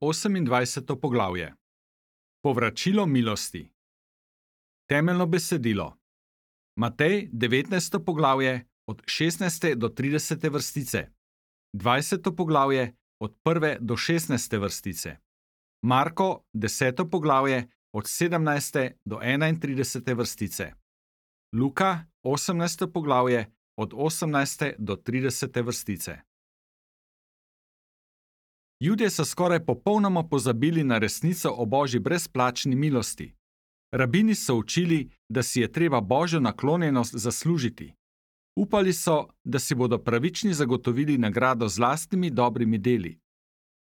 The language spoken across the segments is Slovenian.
28. poglavje. Povračilo milosti. Temeljno besedilo. Matej 19. poglavje od 16. do 30. vrstice. 20. poglavje od 1. do 16. vrstice. Marko 10. poglavje od 17. do 31. vrstice. Luka 18. poglavje od 18. do 30. vrstice. Judje so skoraj popolnoma pozabili na resnico o Božji brezplačni milosti. Rabini so učili, da si je treba Božjo naklonjenost zaslužiti. Upali so, da si bodo pravični zagotovili nagrado z lastnimi dobrimi deli.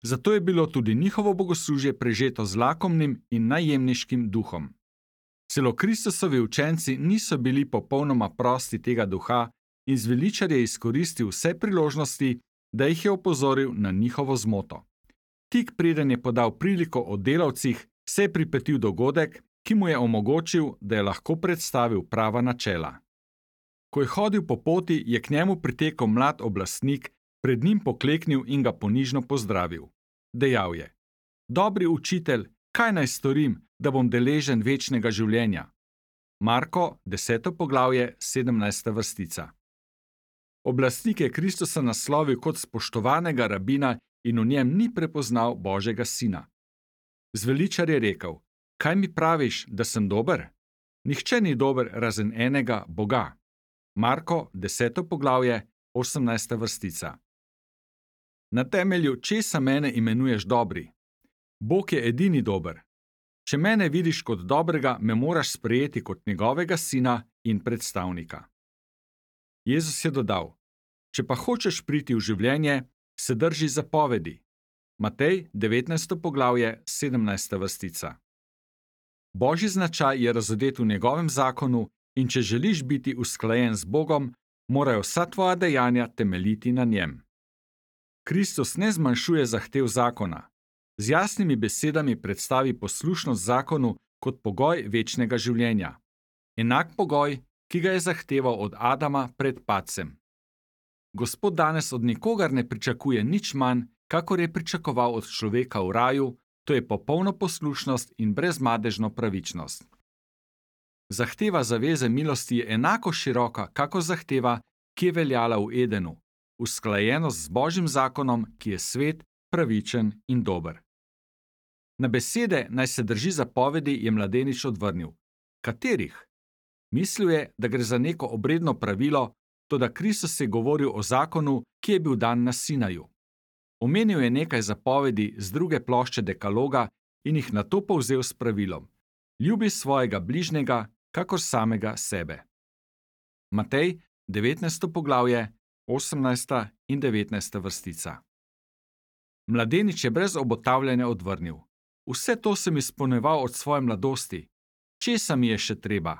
Zato je bilo tudi njihovo bogoslužje prežeto z lakomnim in najemniškim duhom. Celo Kristusovi učenci niso bili popolnoma prosti tega duha in zveličar je izkoristil vse priložnosti, da jih je opozoril na njihovo zmoto. Tik preden je podal priliko o delavcih, se je pripetil dogodek, ki mu je omogočil, da je lahko predstavil prava načela. Ko je hodil po poti, je k njemu pritekel mlad oblastnik, pred njim pokleknil in ga ponižno pozdravil. Dejal je: Dobri učitelj, kaj naj storim, da bom deležen večnega življenja? Marko 10. poglavje 17. vrstica. Oblastnik je Kristusa naslovil kot spoštovanega rabina in v njem ni prepoznal Božjega sina. Zveličar je rekel: Kaj mi praviš, da sem dober? Nihče ni dober razen enega, Boga. Marko 10. poglavje 18. vrstica. Na temelju česa mene imenuješ dobri? Bog je edini dober. Če mene vidiš kot dobrega, me moraš sprejeti kot njegovega sina in predstavnika. Jezus je dodal: Če pa hočeš priti v življenje, se drži zapovedi. Matej 19. poglavje 17. vrstica. Božji značaj je razodet v njegovem zakonu in če želiš biti usklajen z Bogom, morajo vsa tvoja dejanja temeljiti na njem. Kristus ne zmanjšuje zahtev zakona. Z jasnimi besedami predstavi poslušnost zakonu kot pogoj večnega življenja. Enak pogoj, ki ga je zahteval od Adama pred padcem. Gospod danes od nikogar ne pričakuje nič manj, kakor je pričakoval od človeka v raju, to je popolno poslušnost in brezmadežno pravičnost. Zahteva zaveze milosti je enako široka, kakor zahteva, ki je veljala v Edenu, usklajenost z Božjim zakonom, ki je svet, pravičen in dober. Na besede naj se drži zapovedi je mladenič odvrnil. Katerih? Mislil je, da gre za neko obredno pravilo, toda Kristus je govoril o zakonu, ki je bil dan na Sinaju. Omenil je nekaj zapovedi z druge plošče dekaloga in jih nato povzel s pravilom: Ljubi svojega bližnjega, kakor samega sebe. Matej 19. poglavje 18. in 19. vrstica. Mladenič je brez obotavljanja odvrnil: Vse to sem izpolnjeval od svoje mladosti. Česa mi je še treba?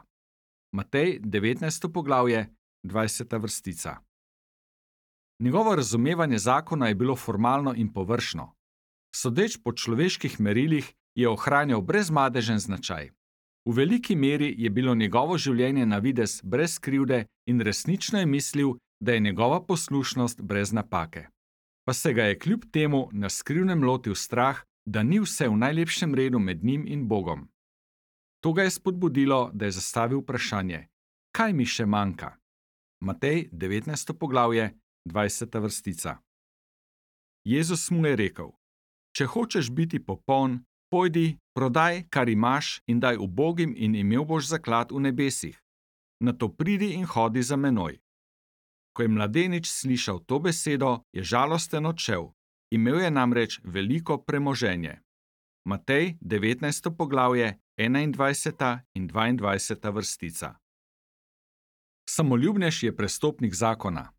Matej 19. poglavje 20. vrstica. Njegovo razumevanje zakona je bilo formalno in površno. Sodeč po človeških merilih je ohranjal brezmadežen značaj. V veliki meri je bilo njegovo življenje na videz brez krivde in resnično je mislil, da je njegova poslušnost brez napake. Pa se ga je kljub temu na skrivnem lotil strah, da ni vse v najlepšem redu med njim in Bogom. To ga je spodbudilo, da je zastavil vprašanje: Kaj mi še manjka? Matej 19. poglavje 20. vrstica. Jezus mu je rekel: Če hočeš biti popoln, pojdi, prodaj, kar imaš, in daj ubogim in imel boš zaklad v nebesih. Nato pridi in hodi za menoj. Ko je mladenič slišal to besedo, je žalosten odšel. Imel je namreč veliko premoženje. Matej 19. poglavje 21. in 22. vrstica. Samoljubnež je prestopnik zakona.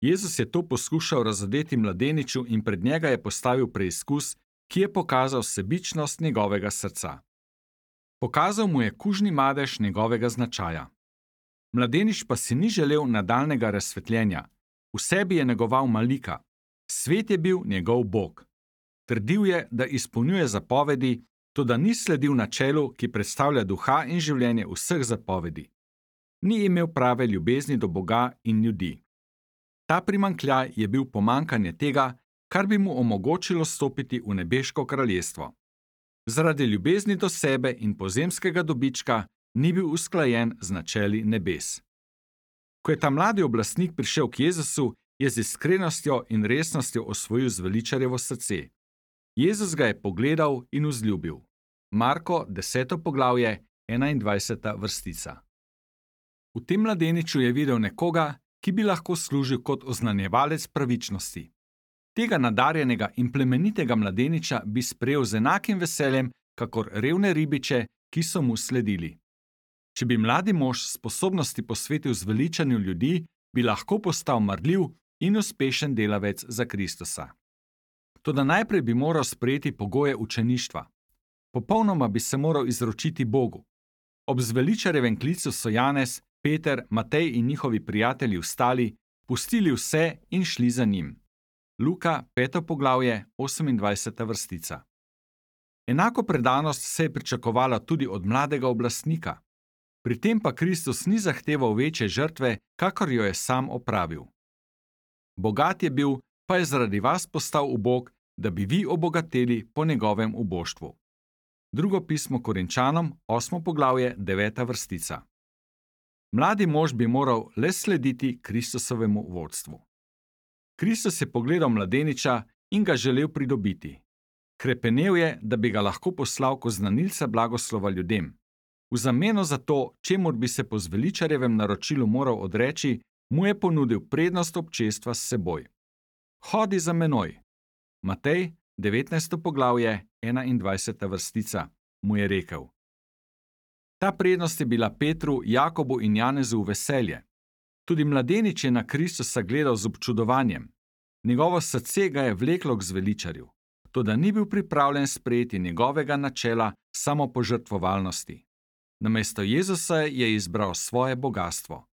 Jezus je to poskušal razodeti mladeniču in pred njega je postavil preizkus, ki je pokazal sebičnost njegovega srca. Pokazal mu je kužni madež njegovega značaja. Mladenič pa si ni želel nadaljnega razsvetljenja. V sebi je negoval malika. Svet je bil njegov Bog. Trdil je, da izpolnjuje zapovedi, toda ni sledil načelu, ki predstavlja duha in življenje vseh zapovedi. Ni imel prave ljubezni do Boga in ljudi. Ta primanjkljaj je bil pomanjkanje tega, kar bi mu omogočilo stopiti v nebeško kraljestvo. Zaradi ljubezni do sebe in pozemskega dobička ni bil usklajen z načeli nebes. Ko je ta mladi oblastnik prišel k Jezusu, je z iskrenostjo in resnostjo osvojil zveličarjevo srce. Jezus ga je pogledal in vzljubil. Marko, 10. poglavje, 21. vrstica. V tem mladeniču je videl nekoga, ki bi lahko služil kot oznanjevalec pravičnosti. Tega nadarjenega in plemenitega mladeniča bi sprejel z enakim veseljem, kakor revne ribiče, ki so mu sledili. Če bi mladi mož sposobnosti posvetil zveličanju ljudi, bi lahko postal marljiv in uspešen delavec za Kristusa. Toda najprej bi moral sprejeti pogoje učeništva. Popolnoma bi se moral izročiti Bogu. Ob zveličarjevem klicu so Janez, Peter, Matej in njihovi prijatelji vstali, pustili vse in šli za njim. Luka, 5. poglavje, 28. vrstica. Enako predanost se je pričakovala tudi od mladega oblastnika. Pri tem pa Kristus ni zahteval večje žrtve, kakor jo je sam opravil. Bogat je bil, pa je zaradi vas postal ubog, da bi vi obogateli po njegovem uboštvu. Drugo pismo Korinčanom, 8. poglavje, 9. vrstica. Mladi mož bi moral le slediti Kristusovemu vodstvu. Kristus je pogledal mladeniča in ga želel pridobiti. Hrepenel je, da bi ga lahko poslal kot znanilca blagoslova ljudem. V zameno za to, čemur bi se po zveličarjevem naročilu moral odreči, mu je ponudil prednost občestva s seboj. Hodi za menoj. Matej, 19. poglavje, 21. vrstica, mu je rekel. Ta prednost je bila Petru, Jakobu in Janezu v veselje. Tudi mladenič je na Kristusa gledal z občudovanjem. Njegovo srce ga je vleklo k zveličarju, toda ni bil pripravljen sprejeti njegovega načela samopožrtvovalnosti. Namesto Jezusa je izbral svoje bogastvo.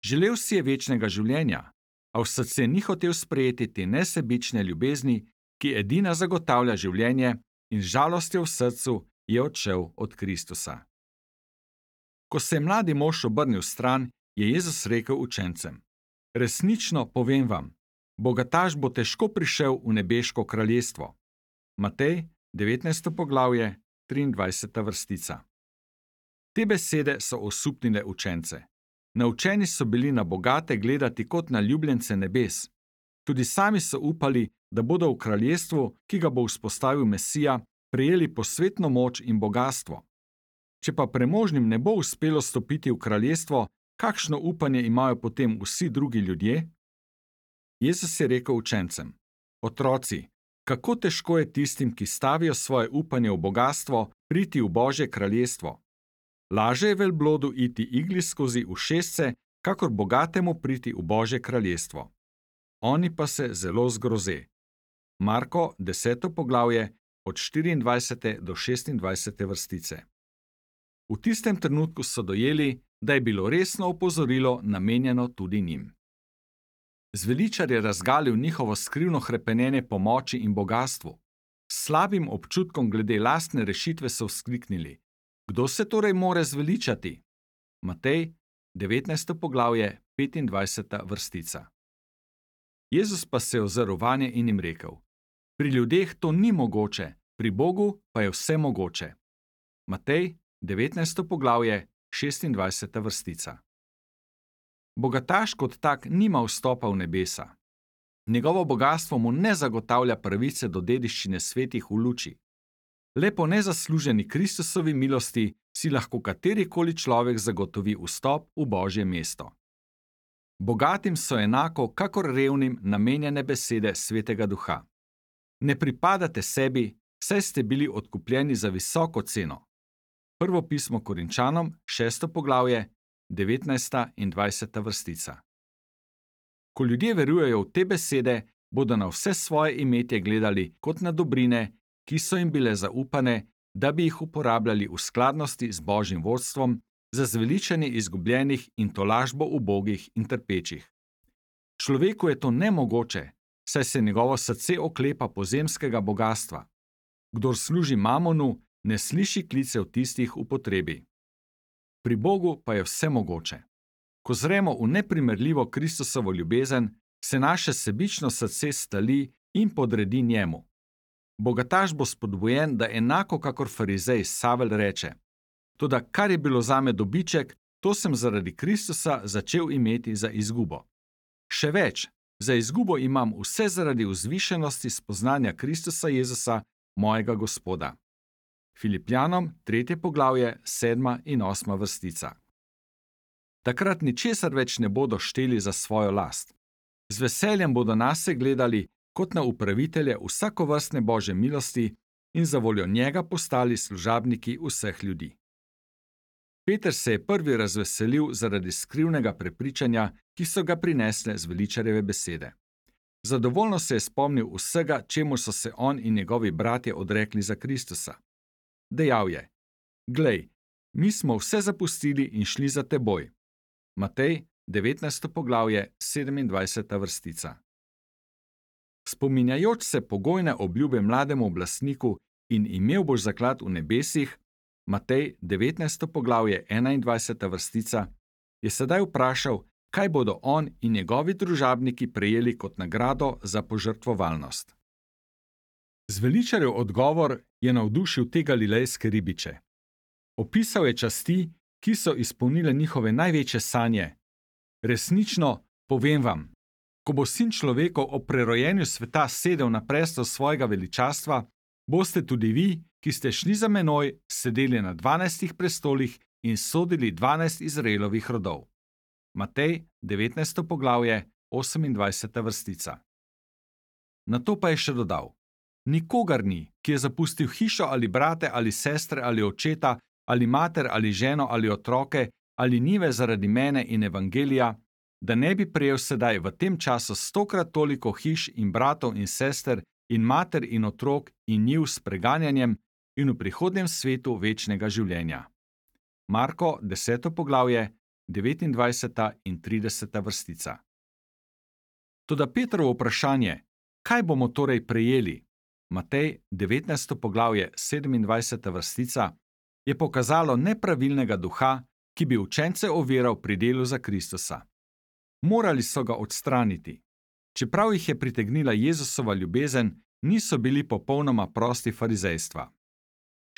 Želel si je večnega življenja, a v srce ni hotel sprejeti te nesebične ljubezni, ki edina zagotavlja življenje, in z žalostjo v srcu je odšel od Kristusa. Ko se je mladi mož obrnil stran, je Jezus rekel učencem: Resnično povem vam, bogataš bo težko prišel v nebeško kraljestvo. Matej, 19. poglavje, 23. vrstica. Te besede so osupnile učence. Naučeni so bili na bogate gledati kot na ljubljence nebes. Tudi sami so upali, da bodo v kraljestvu, ki ga bo vzpostavil Mesija, prejeli posvetno moč in bogastvo. Če pa premožnim ne bo uspelo stopiti v kraljestvo, kakšno upanje imajo potem vsi drugi ljudje? Jezus je rekel učencem: Otroci, kako težko je tistim, ki stavijo svoje upanje v bogastvo, priti v Božje kraljestvo. Laže je velblodu iti igli skozi ušesce, kakor bogatemu priti v Božje kraljestvo. Oni pa se zelo zgroze. Marko, 10. poglavje, od 24. do 26. vrstice. V tistem trenutku so dojeli, da je bilo resno opozorilo namenjeno tudi njim. Zveličar je razgalil njihovo skrivno hrepenenje po moči in bogastvu. S slabim občutkom glede lastne rešitve so vzkliknili: Kdo se torej more zveličati? Matej, 19. poglavje, 25. vrstica. Jezus pa se je ozrl vanje in jim rekel: Pri ljudeh to ni mogoče, pri Bogu pa je vse mogoče. Matej, 19. poglavje, 26. vrstica. Bogataš kot tak nima vstopa v nebesa. Njegovo bogastvo mu ne zagotavlja pravice do dediščine svetih v luči. Le po nezasluženi Kristusovi milosti si lahko katerikoli človek zagotovi vstop v Božje mesto. Bogatim so enako, kakor revnim, namenjene besede Svetega Duha. Ne pripadate sebi, saj ste bili odkupljeni za visoko ceno. Prvo pismo Korinčanom, 6. poglavje, 19. in 20. vrstica. Ko ljudje verujejo v te besede, bodo na vse svoje imetje gledali kot na dobrine, ki so jim bile zaupane, da bi jih uporabljali v skladnosti z Božjim vodstvom za zveličanje izgubljenih in tolažbo ubogih in trpečih. Človeku je to nemogoče, saj se njegovo srce oklepa pozemskega bogastva. Kdor služi mamonu, ne sliši klicev tistih v potrebi. Pri Bogu pa je vse mogoče. Ko zremo v neprimerljivo Kristusovo ljubezen, se naše sebično srce stali in podredi njemu. Bogataš bo spodbujen, da enako kakor farizej Savel reče: Toda kar je bilo zame dobiček, to sem zaradi Kristusa začel imeti za izgubo. Še več, za izgubo imam vse zaradi vzvišenosti spoznanja Kristusa Jezusa, mojega Gospoda. Filipljanom 3. poglavje 7. in 8. vrstica. Takrat ničesar več ne bodo šteli za svojo last. Z veseljem bodo nase gledali kot na upravitelje vsakovrstne Božje milosti in zavoljo njega postali služabniki vseh ljudi. Peter se je prvi razveselil zaradi skrivnega prepričanja, ki so ga prinesle zveličarjeve besede. Zadovoljno se je spomnil vsega, čemu so se on in njegovi bratje odrekli za Kristusa. Dejal je: Glej, mi smo vse zapustili in šli za teboj. Matej, 19. poglavje, 27. vrstica. Spominjajoč se pogojne obljube mlademu oblastniku in imel boš zaklad v nebesih, Matej, 19. poglavje, 21. vrstica, je sedaj vprašal, kaj bodo on in njegovi družabniki prejeli kot nagrado za požrtvovalnost. Zveličarjev odgovor je navdušil te galilejske ribiče. Opisal je časti, ki so izpolnile njihove največje sanje. Resnično, povem vam, ko bo Sin človekov ob prerojenju sveta sedel na prestol svojega veličastva, boste tudi vi, ki ste šli za menoj, sedeli na 12 prestolih in sodili 12 Izraelovih rodov. Matej, 19. poglavje, 28. vrstica. Nato pa je še dodal: Nikogar ni, ki je zapustil hišo ali brate ali sestre ali očeta ali mater ali ženo ali otroke ali njive zaradi mene in evangelija, da ne bi prejel sedaj v tem času 100-krat toliko hiš in bratov in sester in mater in otrok in njiv s preganjanjem in v prihodnjem svetu večnega življenja. Marko, 10. poglavje, 29. in 30. vrstica. Toda Petrovo vprašanje, kaj bomo torej prejeli, Matej, 19. poglavje, 27. vrstica, je pokazalo nepravilnega duha, ki bi učence oviral pri delu za Kristusa. Morali so ga odstraniti. Čeprav jih je pritegnila Jezusova ljubezen, niso bili popolnoma prosti farizejstva.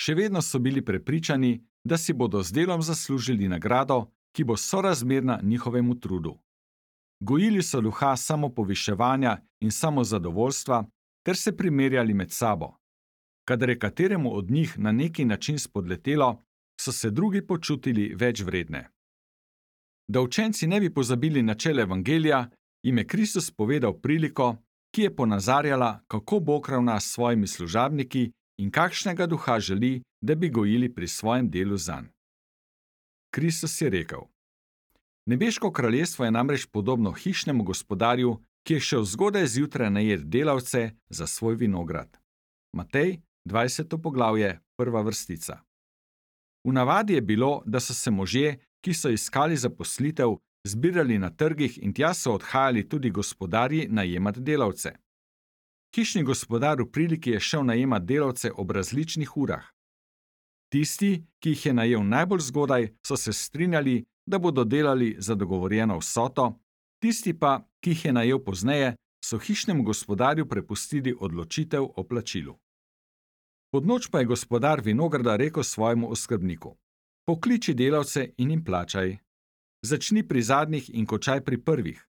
Še vedno so bili prepričani, da si bodo z delom zaslužili nagrado, ki bo sorazmerna njihovemu trudu. Gojili so duha samopoviševanja in samozadovoljstva ter se primerjali med sabo. Kadar je kateremu od njih na neki način spodletelo, so se drugi počutili več vredne. Da učenci ne bi pozabili načel evangelija, jim je Kristus povedal priliko, ki je ponazarjala, kako Bog ravna s svojimi služabniki in kakšnega duha želi, da bi gojili pri svojem delu zanj. Kristus je rekel: Nebeško kraljestvo je namreč podobno hišnemu gospodarju, ki je šel zgodaj zjutraj najet delavce za svoj vinograd. Matej, 20. poglavje, 1. vrstica. V navadi je bilo, da so se možje, ki so iskali zaposlitev, zbirali na trgih in tja so odhajali tudi gospodarji najemat delavce. Hišni gospodar v priliki je šel najemat delavce ob različnih urah. Tisti, ki jih je najel najbolj zgodaj, so se strinjali, da bodo delali za dogovorjeno vsoto, tisti pa, ki jih je najel pozneje, so hišnemu gospodarju prepustili odločitev o plačilu. Pod noč pa je gospodar vinograda rekel svojemu oskrbniku: Pokliči delavce in jim plačaj. Začni pri zadnjih in končaj pri prvih.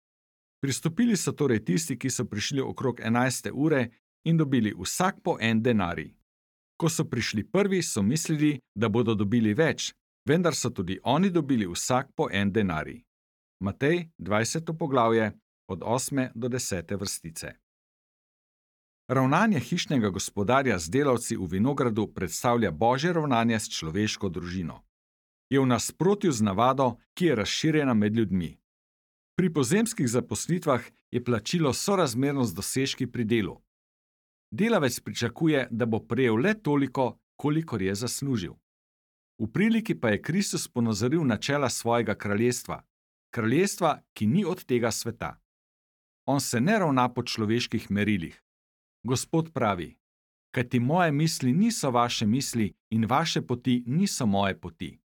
Pristopili so torej tisti, ki so prišli okrog 11. ure in dobili vsak po en denarij. Ko so prišli prvi, so mislili, da bodo dobili več, vendar so tudi oni dobili vsak po en denarij. Matej, 20. poglavje, od 8. do 10. vrstice. Ravnanje hišnega gospodarja z delavci v vinogradu predstavlja Božje ravnanje s človeško družino. Je v nasprotju z navado, ki je razširjena med ljudmi. Pri pozemskih zaposlitvah je plačilo sorazmerno z dosežki pri delu. Delavec pričakuje, da bo prejel le toliko, kolikor je zaslužil. V priliki pa je Kristus ponazoril načela svojega kraljestva, ki ni od tega sveta. On se ne ravna po človeških merilih. Gospod pravi: Kajti moje misli niso vaše misli in vaše poti niso moje poti.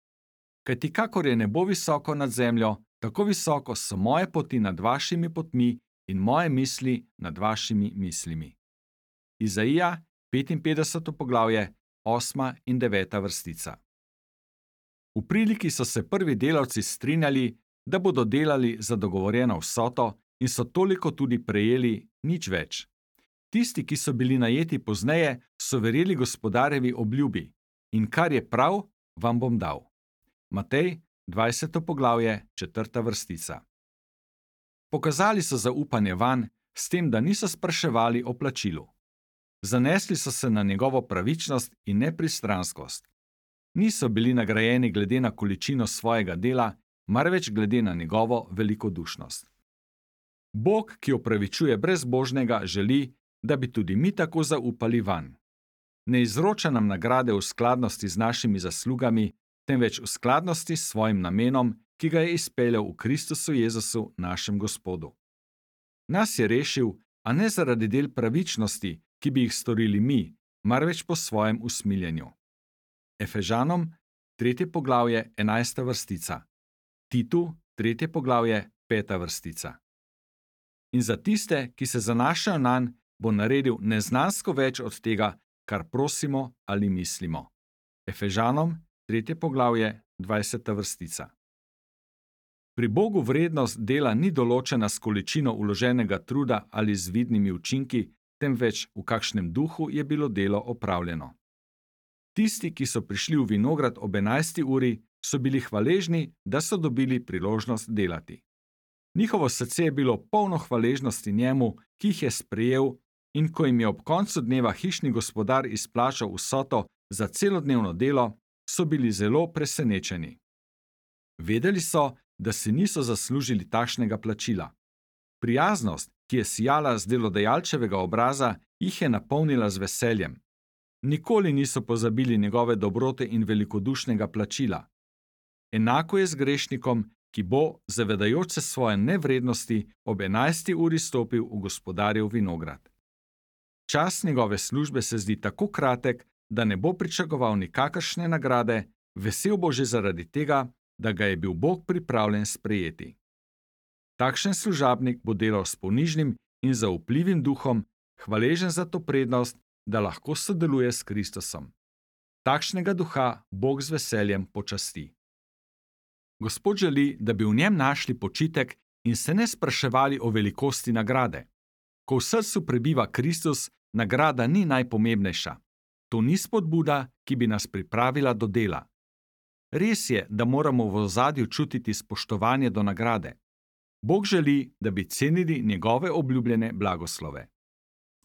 Kajti kakor je nebo visoko nad zemljo, tako visoko so moje poti nad vašimi potmi in moje misli nad vašimi mislimi. Izaija, 55. poglavje, 8. in 9. vrstica. V priliki so se prvi delavci strinjali, da bodo delali za dogovorjeno vsoto in so toliko tudi prejeli, nič več. Tisti, ki so bili najeti pozneje, so verjeli gospodarjevi obljubi in kar je prav, vam bom dal. Matej, 20. poglavje, 4. vrstica. Pokazali so zaupanje vanj, s tem, da niso spraševali o plačilu. Zanesli so se na njegovo pravičnost in nepristranskost. Niso bili nagrajeni glede na količino svojega dela, marveč glede na njegovo velikodušnost. Bog, ki opravičuje brezbožnega, želi, da bi tudi mi tako zaupali vanj. Ne izroča nam nagrade v skladnosti z našimi zaslugami, temveč v skladnosti s svojim namenom, ki ga je izpeljal v Kristusu Jezusu, našem Gospodu. Nas je rešil, a ne zaradi del pravičnosti, ki bi jih storili mi, marveč po svojem usmiljenju. Efežanom, 3. poglavje, 11. vrstica. Titu, 3. poglavje, 5. vrstica. In za tiste, ki se zanašajo nanj, bo naredil neznansko več od tega, kar prosimo ali mislimo. Efežanom, 3. poglavje, 20. vrstica. Pri Bogu vrednost dela ni določena s količino vloženega truda ali z vidnimi učinki, temveč v kakšnem duhu je bilo delo opravljeno. Tisti, ki so prišli v vinograd ob 11. uri, so bili hvaležni, da so dobili priložnost delati. Njihovo srce je bilo polno hvaležnosti njemu, ki jih je sprejel, in ko jim je ob koncu dneva hišni gospodar izplačal vsoto za celodnevno delo, so bili zelo presenečeni. Vedeli so, da si niso zaslužili takšnega plačila. Prijaznost, ki je sijala z delodajalčevega obraza, jih je napolnila z veseljem. Nikoli niso pozabili njegove dobrote in velikodušnega plačila. Enako je z grešnikom, ki bo, zavedajoč se svoje nevrednosti, ob 11. uri stopil v gospodarjev vinograd. Čas njegove službe se zdi tako kratek, da ne bo pričakoval nikakršne nagrade, vesel bo že zaradi tega, da ga je bil Bog pripravljen sprejeti. Takšen služabnik bo delal s ponižnim in zaupljivim duhom, hvaležen za to prednost, da lahko sodeluje s Kristusom. Takšnega duha Bog z veseljem počasti. Gospod želi, da bi v njem našli počitek in se ne spraševali o velikosti nagrade. Ko v srcu prebiva Kristus, nagrada ni najpomembnejša. To ni spodbuda, ki bi nas pripravila do dela. Res je, da moramo v ozadju čutiti spoštovanje do nagrade. Bog želi, da bi cenili njegove obljubljene blagoslove.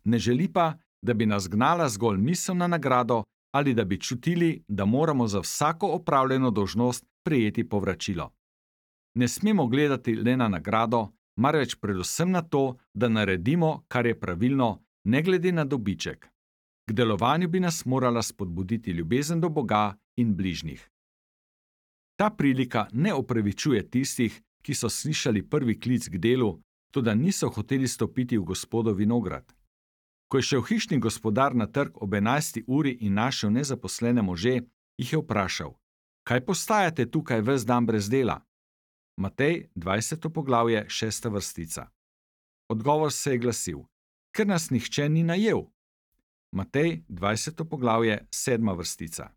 Ne želi pa, da bi nas gnala zgolj misel na nagrado ali da bi čutili, da moramo za vsako opravljeno dolžnost prejeti povračilo. Ne smemo gledati le na nagrado, marveč predvsem na to, da naredimo, kar je pravilno, ne glede na dobiček. K delovanju bi nas morala spodbuditi ljubezen do Boga in bližnjih. Ta prilika ne opravičuje tistih, ki so slišali prvi klic k delu, toda niso hoteli stopiti v Gospodov vinograd. Ko je šel hišni gospodar na trg ob 11. uri in našel nezaposlene može, jih je vprašal: Kaj postajate tukaj ves dan brez dela? Matej, 20. poglavje, 6. vrstica. Odgovor se je glasil: Ker nas nihče ni najel. Matej, 20. poglavje, 7. vrstica.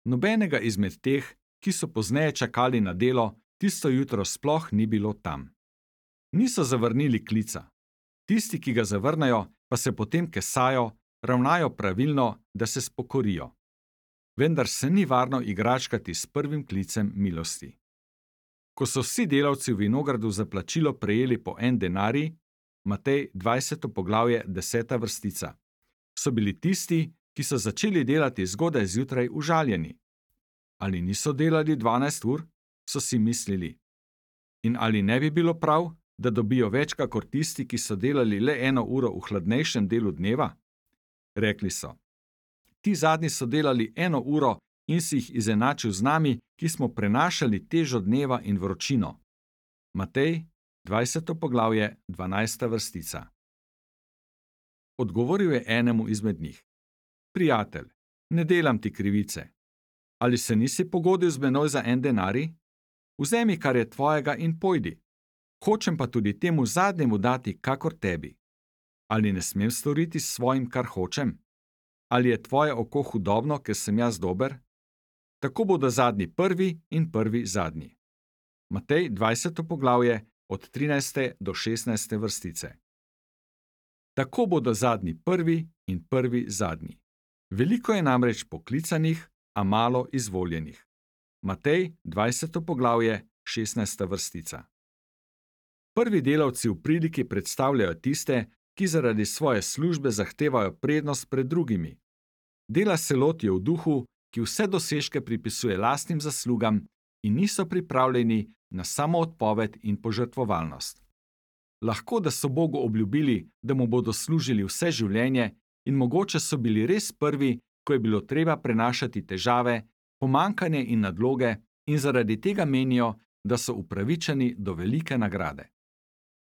Nobenega izmed teh, ki so pozneje čakali na delo, tisto jutro sploh ni bilo tam. Niso zavrnili klica. Tisti, ki ga zavrnejo, pa se potem kesajo, ravnajo pravilno, da se spokorijo. Vendar se ni varno igračkati s prvim klicem milosti. Ko so vsi delavci v vinogradu za plačilo prejeli po 1 denarij, Matej 20. poglavje 10. vrstica, so bili tisti, ki so začeli delati zgodaj zjutraj, užaljeni. Ali niso delali 12 ur, so si mislili. In ali ne bi bilo prav, da dobijo več kakor tisti, ki so delali le 1 uro v hladnejšem delu dneva? Rekli so: Ti zadnji so delali 1 uro in si jih izenačil z nami, ki smo prenašali težo dneva in vročino. Matej, 20. poglavje, 12. vrstica. Odgovoril je enemu izmed njih: Prijatelj, ne delam ti krivice. Ali se nisi pogodil z menoj za 1 denarij? Vzemi, kar je tvojega, in pojdi. Hočem pa tudi temu zadnjemu dati kakor tebi. Ali ne smem storiti s svojim, kar hočem? Ali je tvoje oko hudobno, ker sem jaz dober? Tako bodo zadnji prvi in prvi zadnji. Matej 20. poglavje od 13. do 16. vrstice. Tako bodo zadnji prvi in prvi zadnji. Veliko je namreč poklicanih, a malo izvoljenih. Matej 20. poglavje 16. vrstica. Prvi delavci v priliki predstavljajo tiste, ki zaradi svoje službe zahtevajo prednost pred drugimi. Dela se lotijo v duhu, ki vse dosežke pripisuje lastnim zaslugam in niso pripravljeni na samoodpoved in požrtvovalnost. Lahko, da so Bogu obljubili, da mu bodo služili vse življenje in mogoče so bili res prvi, ko je bilo treba prenašati težave, pomanjkanje in nadloge in zaradi tega menijo, da so upravičeni do velike nagrade.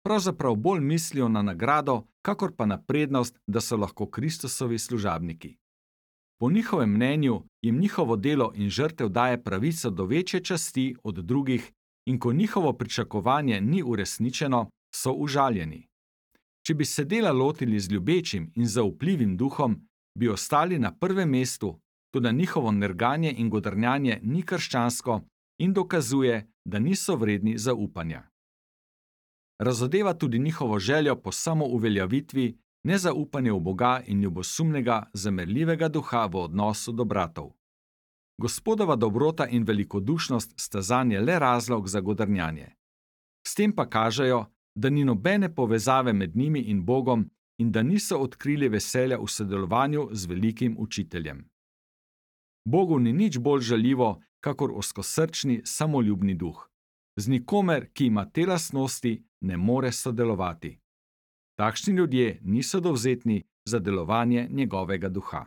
Pravzaprav bolj mislijo na nagrado, kakor pa na prednost, da so lahko Kristusovi služabniki. Po njihovem mnenju jim njihovo delo in žrtev daje pravico do večje časti od drugih in ko njihovo pričakovanje ni uresničeno, so užaljeni. Če bi se dela lotili z ljubečim in zaupljivim duhom, bi ostali na prvem mestu, toda njihovo nerganje in godrnjanje ni krščansko in dokazuje, da niso vredni zaupanja. Razodeva tudi njihovo željo po samouveljavitvi, nezaupanje v Boga in ljubosumnega, zamerljivega duha v odnosu do bratov. Gospodova dobrota in velikodušnost sta zanje le razlog za godrnjanje. S tem pa kažejo, da ni nobene povezave med njimi in Bogom in da niso odkrili veselja v sodelovanju z velikim učiteljem. Bogu ni nič bolj žaljivo, kakor ozkosrčni, samoljubni duh. Z nikomer, ki ima te lastnosti, ne more sodelovati. Takšni ljudje niso dovzetni za delovanje njegovega duha.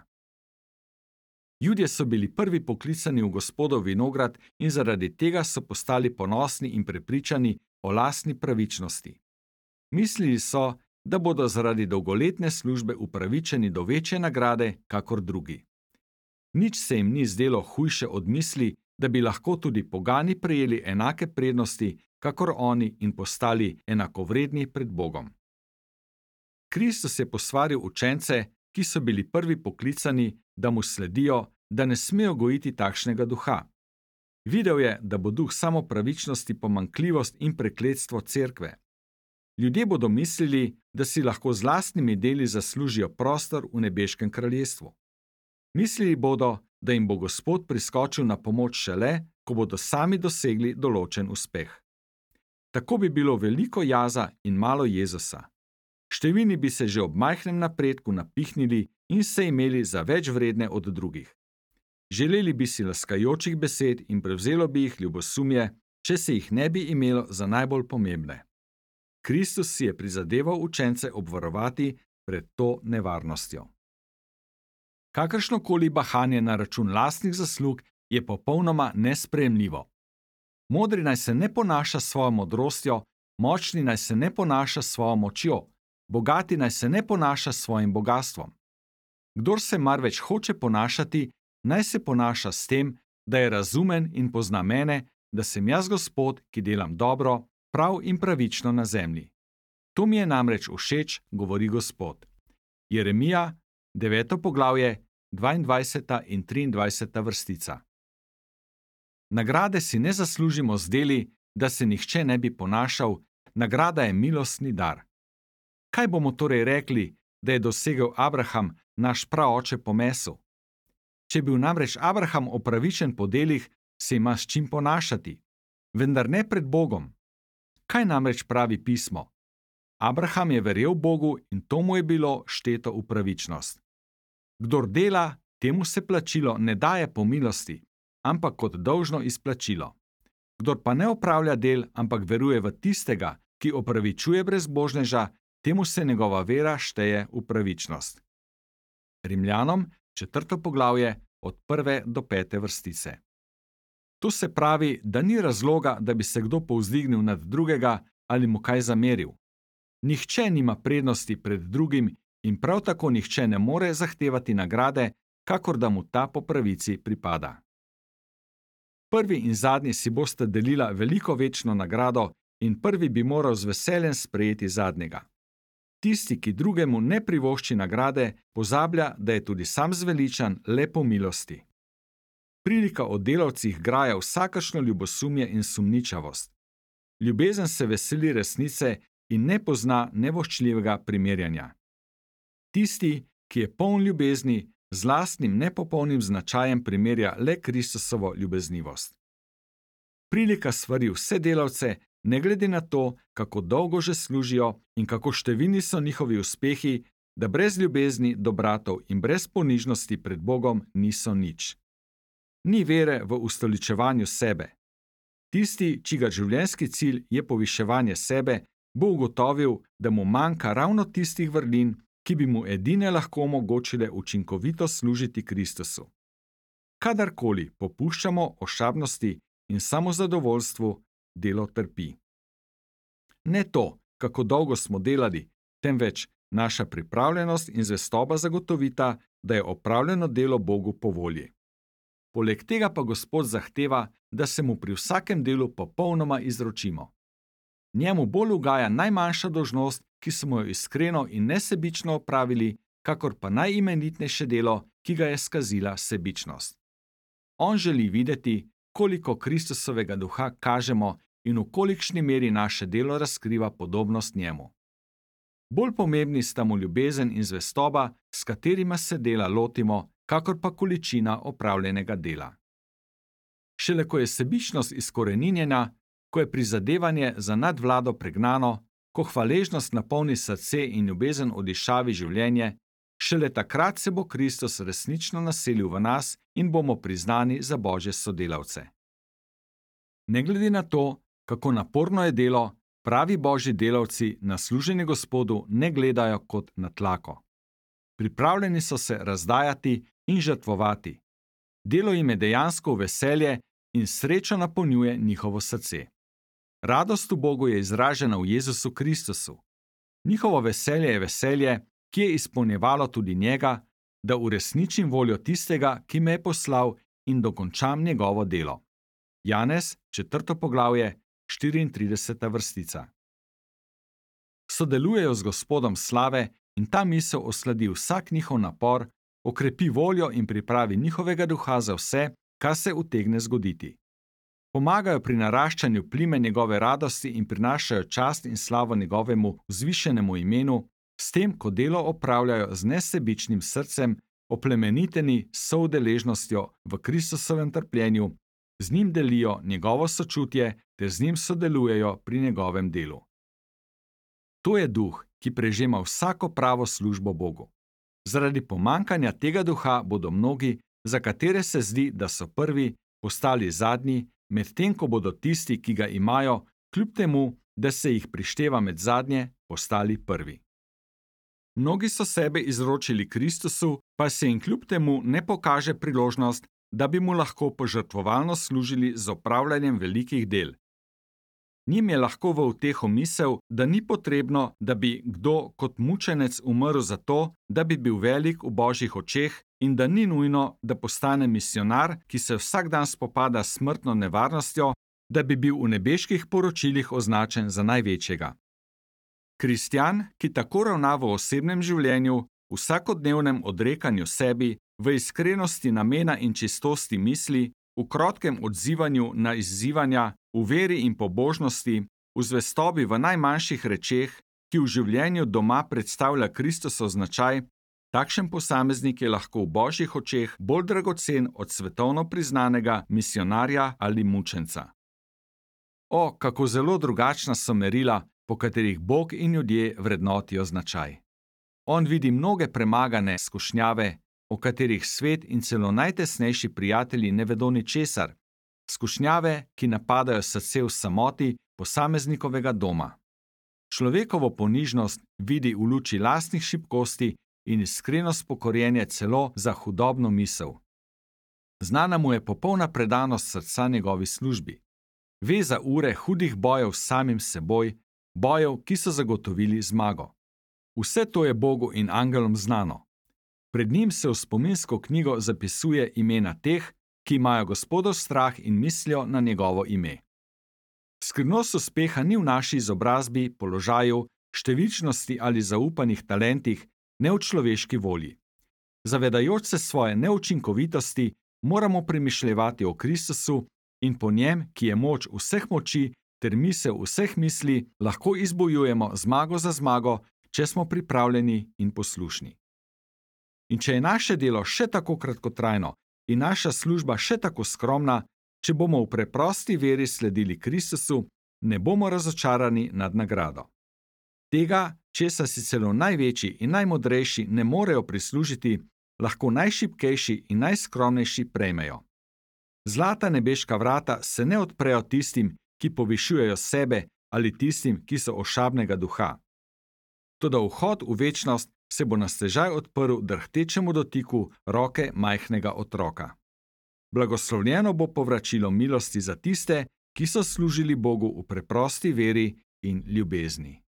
Judje so bili prvi poklicani v Gospodov vinograd in zaradi tega so postali ponosni in prepričani o lastni pravičnosti. Mislili so, da bodo zaradi dolgoletne službe upravičeni do večje nagrade, kakor drugi. Nič se jim ni zdelo hujše od misli, da bi lahko tudi pogani prejeli enake prednosti, kakor oni in postali enakovredni pred Bogom. Kristus je posvaril učence, ki so bili prvi poklicani, da mu sledijo, da ne smejo gojiti takšnega duha. Videl je, da bo duh samopravičnosti pomanjkljivost in prekletstvo cerkve. Ljudje bodo mislili, da si lahko z lastnimi deli zaslužijo prostor v nebeškem kraljestvu. Mislili bodo, da jim bo Gospod priskočil na pomoč šele, ko bodo sami dosegli določen uspeh. Tako bi bilo veliko jaza in malo Jezusa. Številni bi se že ob majhnem napredku napihnili in se imeli za več vredne od drugih. Želeli bi si laskajočih besed in prevzelo bi jih ljubosumje, če se jih ne bi imelo za najbolj pomembne. Kristus si je prizadeval učence obvarovati pred to nevarnostjo. Kakršnokoli bahanje na račun lastnih zaslug je popolnoma nesprejemljivo. Modri naj se ne ponaša s svojo modrostjo, močni naj se ne ponaša s svojo močjo, bogati naj se ne ponaša s svojim bogastvom. Kdor se marveč hoče ponašati, naj se ponaša s tem, da je razumen in pozna mene, da sem jaz Gospod, ki delam dobro, prav in pravično na zemlji. To mi je namreč všeč, govori Gospod. Jeremija, 9. poglavje, 22. in 23. vrstica. Nagrade si ne zaslužimo z deli, da se nihče ne bi ponašal, nagrada je milostni dar. Kaj bomo torej rekli, da je dosegel Abraham, naš praoče po mesu? Če je bil namreč Abraham opravičen po delih, se ima s čim ponašati, vendar ne pred Bogom. Kaj namreč pravi pismo? Abraham je verjel Bogu in to mu je bilo šteto v pravičnost. Kdor dela, temu se plačilo ne daje po milosti, ampak kot dolžno izplačilo. Kdor pa ne opravlja del, ampak veruje v tistega, ki opravičuje brezbožneža, temu se njegova vera šteje v pravičnost. Rimljanom, 4. poglavje, od 1. do 5. vrstice. To se pravi, da ni razloga, da bi se kdo povzdignil nad drugega ali mu kaj zameril. Nihče nima prednosti pred drugim in prav tako nihče ne more zahtevati nagrade, kakor da mu ta po pravici pripada. Prvi in zadnji si bosta delila veliko večno nagrado in prvi bi moral z veseljem sprejeti zadnjega. Tisti, ki drugemu ne privošči nagrade, pozablja, da je tudi sam zveličan le po milosti. Prilika o delavcih graja vsakršno ljubosumje in sumničavost. Ljubezen se veseli resnice in ne pozna nevoščljivega primerjanja. Tisti, ki je poln ljubezni, z lastnim nepopolnim značajem primerja le Kristusovo ljubeznivost. Prilika svari vse delavce, ne glede na to, kako dolgo že služijo in kako številni so njihovi uspehi, da brez ljubezni do bratov in brez ponižnosti pred Bogom niso nič. Ni vere v ustoličevanju sebe. Tisti, čigar življenjski cilj je poviševanje sebe, bo ugotovil, da mu manjka ravno tistih vrlin, ki bi mu edine lahko omogočile učinkovito služiti Kristusu. Kadarkoli popuščamo ošabnosti in samozadovoljstvu, delo trpi. Ne to, kako dolgo smo delali, temveč naša pripravljenost in zvestoba zagotovita, da je opravljeno delo Bogu po volji. Poleg tega pa Gospod zahteva, da se mu pri vsakem delu popolnoma izročimo. Njemu bolj ugaja najmanjša dolžnost, ki smo jo iskreno in nesebično opravili, kakor pa najimenitnejše delo, ki ga je skazila sebičnost. On želi videti, koliko Kristusovega duha kažemo in v kolikšni meri naše delo razkriva podobnost njemu. Bolj pomembni sta mu ljubezen in zvestoba, s katerima se dela lotimo, kakor pa količina opravljenega dela. Šele ko je sebičnost izkoreninjena, ko je prizadevanje za nadvlado pregnano, ko hvaležnost napolni srce in ljubezen odišavi življenje, šele takrat se bo Kristus resnično naselil v nas in bomo priznani za Božje sodelavce. Ne glede na to, kako naporno je delo, pravi Božji delavci na služenje Gospodu ne gledajo kot na tlako. Pripravljeni so se razdajati in žrtvovati. Delo jim je dejansko veselje in srečo napolnjuje njihovo srce. Radost v Bogu je izražena v Jezusu Kristusu. Njihovo veselje je veselje, ki je izpolnjevalo tudi njega, da uresničim voljo tistega, ki me je poslal in dokončam njegovo delo. Janez, 4. poglavje, 34. vrstica. Sodelujejo z Gospodom slave in ta misel osladi vsak njihov napor, okrepi voljo in pripravi njihovega duha za vse, kar se utegne zgoditi. Pomagajo pri naraščanju plime njegove radosti in prinašajo čast in slavo njegovemu vzvišenemu imenu, s tem, ko delo opravljajo z nesebičnim srcem, oplemeniteni s soudeležnostjo v Kristusovem trpljenju, z njim delijo njegovo sočutje ter z njim sodelujejo pri njegovem delu. To je duh, ki prežema vsako pravo službo Bogu. Zaradi pomanjkanja tega duha bodo mnogi, za katere se zdi, da so prvi, postali zadnji, medtem ko bodo tisti, ki ga imajo, kljub temu, da se jih prišteva med zadnje, postali prvi. Mnogi so sebe izročili Kristusu, pa se jim kljub temu ne pokaže priložnost, da bi mu lahko požrtvovalno služili z opravljanjem velikih del. Njim je lahko v uteho misel, da ni potrebno, da bi kdo kot mučenec umrl za to, da bi bil velik v Božjih očeh in da ni nujno, da postane misijonar, ki se vsak dan spopada s smrtno nevarnostjo, da bi bil v nebeških poročilih označen za največjega. Kristjan, ki tako ravna v osebnem življenju, v vsakodnevnem odrekanju sebi, v iskrenosti namena in čistosti misli, v krotkem odzivanju na izzivanja, v veri in pobožnosti, v zvestobi v najmanjših rečeh, ki v življenju doma predstavlja Kristusov značaj, takšen posameznik je lahko v Božjih očeh bolj dragocen od svetovno priznanega misijonarja ali mučenca. O, kako zelo drugačna so merila, po katerih Bog in ljudje vrednotijo značaj. On vidi mnoge premagane skušnjave, o katerih svet in celo najtesnejši prijatelji ne vedo ničesar, skušnjave, ki napadajo srce v samoti posameznikovega doma. Človekovo ponižnost vidi v luči lastnih šibkosti in iskreno spokorjenje celo za hudobno misel. Znana mu je popolna predanost srca njegovi službi. Ve za ure hudih bojev s samim seboj, bojev, ki so zagotovili zmago. Vse to je Bogu in angelom znano. Pred njim se v spominsko knjigo zapisuje imena teh, ki imajo Gospodov strah in mislijo na njegovo ime. Skrivnost uspeha ni v naši izobrazbi, položaju, številčnosti ali zaupanih talentih, ne v človeški volji. Zavedajoč se svoje neučinkovitosti, moramo premišljevati o Kristusu in po njem, ki je moč vseh moči ter misel vseh misli, lahko izbojujemo zmago za zmago, če smo pripravljeni in poslušni. In če je naše delo še tako kratkotrajno in naša služba še tako skromna, če bomo v preprosti veri sledili Kristusu, ne bomo razočarani nad nagrado. Tega, česar si celo največji in najmodrejši ne morejo prislužiti, lahko najšibkejši in najskromnejši prejmejo. Zlata nebeška vrata se ne odprejo tistim, ki povišujejo sebe, ali tistim, ki so ošabnega duha. Toda vhod v večnost se bo na stežaj odprl drhtečemu dotiku roke majhnega otroka. Blagoslovljeno bo povračilo milosti za tiste, ki so služili Bogu v preprosti veri in ljubezni.